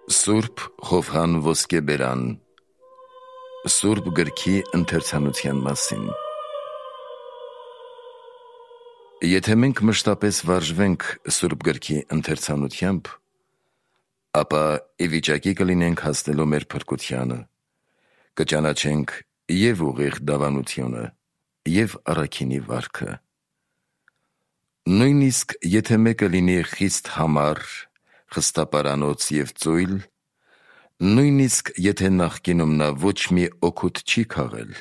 Սուրբ Ղովղան Ոսկեբերան Սուրբ գրքի ընթերցանության մասին։ Եթե մենք մշտապես վարժվենք Սուրբ գրքի ընթերցանությամբ, ապա ի վիճակի կլինենք հասնելու մեր փրկությանը, կճանաչենք և ուղիղ դավանությունը, և առաքինի վարքը։ Նույնիսկ եթե մեկը լինի խիստ համառ, խստապարանոց և ծույլ, նույնիսկ եթե նախկինում նա ոչ մի օգուտ չի քաղել,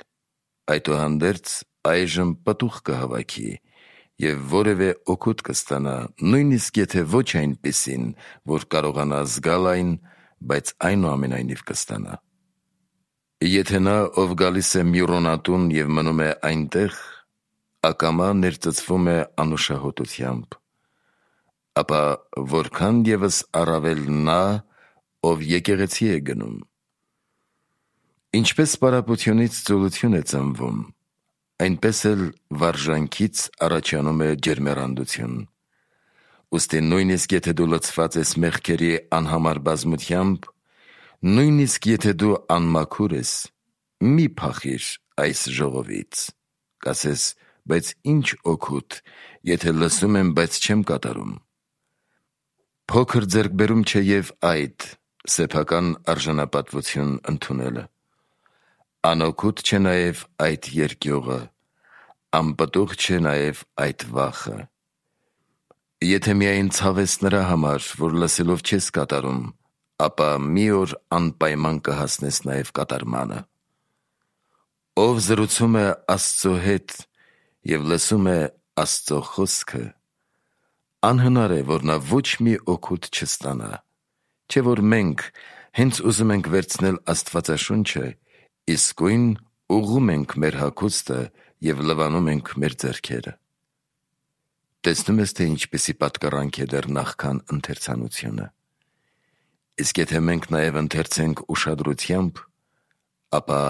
այդուհանդերձ այժմ պտուղ կհավաքի և որևէ օգուտ կստանա, նույնիսկ եթե ոչ այնպիսին, որ կարողանա զգալ այն, բայց այնուամենայնիվ կստանա։ Եթե նա, ով գալիս է մյուրոնատուն և մնում է այնտեղ, ակամա ներծծվում է անուշահոտությամբ, ապա որքան ևս առավել նա, ով եկեղեցի է գնում։ Ինչպես պարապությունից ծուլություն է ծնվում, այնպես էլ վարժանքից առաջանում է ջերմեռանդություն։ Ուստի նույնիսկ եթե դու լցված ես մեղքերի անհամար բազմությամբ, նույնիսկ եթե դու անմաքուր ես, մի փախիր այս ժողովից։ Կասես, բայց ինչ օգուտ, եթե լսում եմ, բայց չեմ կատարում։ Փոքր ձեռքբերում չէ և այդ սեփական արժանապատվություն ընդունելը։ Անօգուտ չէ նաև այդ երկյուղը, անպտուղ չէ նաև այդ վախը։ Եթե միայն ցավ ես նրա համար, որ լսելով չես կատարում, ապա մի օր անպայման կհասնես նաև կատարմանը։ Ով զրուցում է Աստծո հետ և լսում է Աստծո խոսքը, անհնար է, որ նա ոչ մի օգուտ չստանա, չէ՞ որ մենք հենց ուզում ենք վերցնել Աստվածաշունչը, իսկույն ուղղում ենք մեր հագուստը և լվանում ենք մեր ձեռքերը։ Տեսնում ես, թե ինչպիսի պատկառանք է դեռ նախքան ընթերցանությունը։ Իսկ եթե մենք նաև ընթերցենք ուշադրությամբ, ապա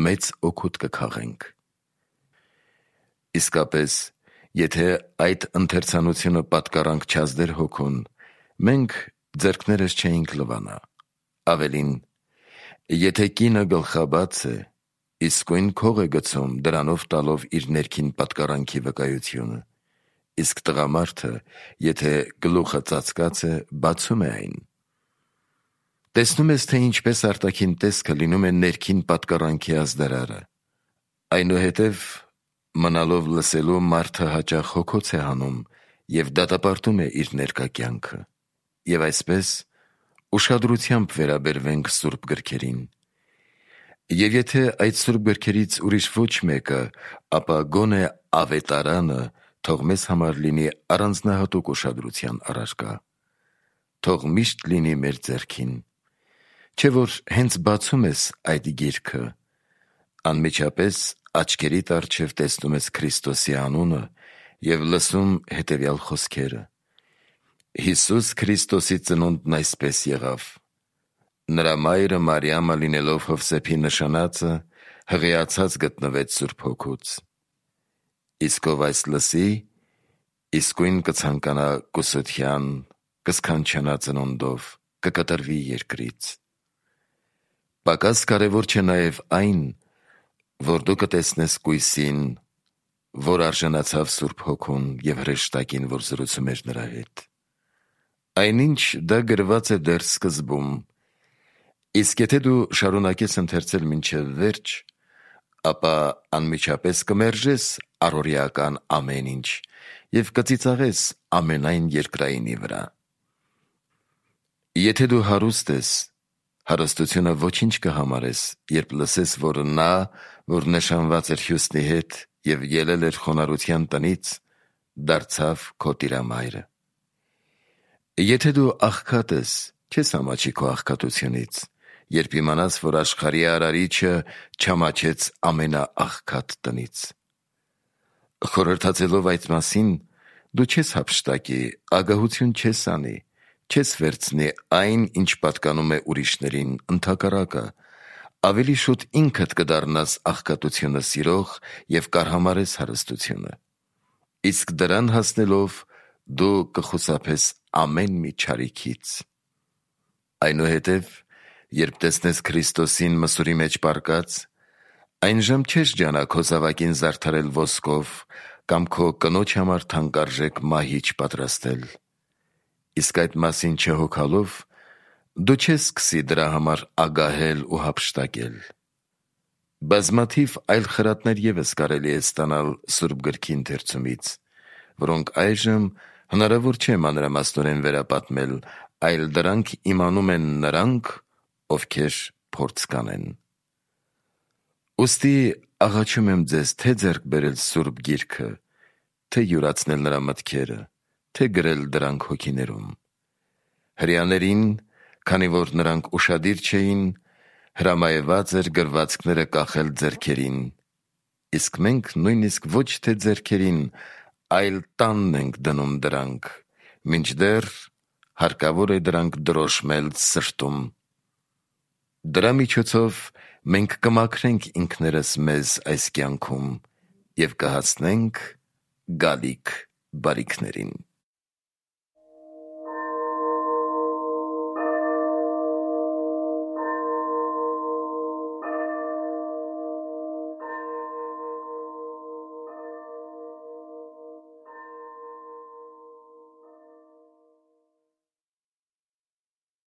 մեծ օգուտ կքաղենք։ Իսկապես, եթե այդ ընթերցանությունը պատկառանք չազդեր հոգուն, մենք ձեռքներս չէինք լվանա։ Ավելին, եթե կինը գլխաբաց է, իսկույն քող է գցում, դրանով տալով իր ներքին պատկառանքի վկայությունը, իսկ տղամարդը, եթե գլուխը ծածկած է, բացում է այն։ Տեսնում ես, թե ինչպես արտաքին տեսքը լինում է ներքին պատկառանքի ազդարարը։ Այնուհետև, մնալով լսելու, մարդը հաճախ հոգոց է հանում և դատապարտում է իր ներկա կյանքը։ Եվ այսպես, ուշադրությամբ վերաբերվենք Սուրբ գրքերին։ Եվ եթե այդ Սուրբ գրքերից ուրիշ ոչ մեկը, ապա գոնե Ավետարանը թող մեզ համար լինի առանձնահատուկ ուշադրության առարկա։ Թող միշտ լինի մեր ձեռքին։ Չէ՞ որ հենց բացում ես այդ գիրքը, անմիջապես աչքերիդ առջև տեսնում ես Քրիստոսի անունը և լսում հետևյալ խոսքերը. Հիսուս Քրիստոսի ծնունդն այսպես եղավ. նրա մայրը Մարիամը լինելով Հովսեփի նշանածը, հղիացած գտնվեց Սուրբ Հոգուց։ Իսկ ով այս լսի, իսկույն կցանկանա կուսության, կսքանչանա ծնունդով, կկտրվի երկրից։ Պակաս կարևոր չէ նաև այն, որ դու կտեսնես կույսին, որ արժանացավ Սուրբ Հոգուն և հրեշտակին, որ զրուցում էր նրա հետ։ Այնինչ դա գրված է դեռ սկզբում, իսկ եթե դու շարունակես ընթերցել մինչև վերջ, ապա անմիջապես կմերժես առօրեական ամեն ինչ և կծիծաղես ամենայն երկրայինի վրա։ Եթե դու հարուստ ես, հարստությունը ոչինչ կհամարես, երբ լսես, որ նա, որ նշանված էր Հյուսնի հետ և ելել էր խոնարհության տնից, դարձավ քո տիրամայրը։ Եթե դու աղքատ ես, չես ամաչի քո աղքատությունից, երբ իմանաս, որ աշխարհի արարիչը չամաչեց ամենաաղքատ տնից։ Խորհրդածելով այդ մասին, դու չես հափշտակի, ագահություն չես անի, չես վերցնի այն, ինչ պատկանում է ուրիշներին, ընդհակառակը, ավելի շուտ ինքդ կդառնաս աղքատությունը սիրող և կարհամարես հարստությունը։ Իսկ դրան հասնելով, դու կխուսափես ամեն մի չարիքից։ Այնուհետև, երբ տեսնես Քրիստոսին մսուրի մեջ պառկած, այն ժամ չես ջանա քո զավակին զարդարել ոսկով կամ քո կնոջ համար թանկարժեք մահիճ պատրաստել։ Իսկ այդ մասին չհոգալով, դու չես սկսի դրա համար ագահել ու հափշտակել։ Բազմաթիվ այլ խրատներ ևս կարելի է ստանալ Սուրբ Գրքի ընթերցումից, որոնք այժմ հնարավոր չէ մանրամասնորեն վերապատմել, այլ դրանք իմանում են նրանք, ովքեր փորձ կանեն։ Ուստի աղաչում եմ ձեզ թե ձեռք բերել Սուրբ Գիրքը, թե յուրացնել նրա մտքերը, թե գրել դրանք հոգիներում։ Հրեաներին, քանի որ նրանք ուշադիր չէին, հրամայված էր գրվածքները կախել ձեռքերին, իսկ մենք նույնիսկ ոչ թե ձեռքերին, այլ տանն ենք դնում դրանք, մինչդեռ հարկավոր է դրանք դրոշմել սրտում։ Դրա միջոցով մենք կմաքրենք ինքներս մեզ այս կյանքում և կհասնենք գալիք բարիքներին։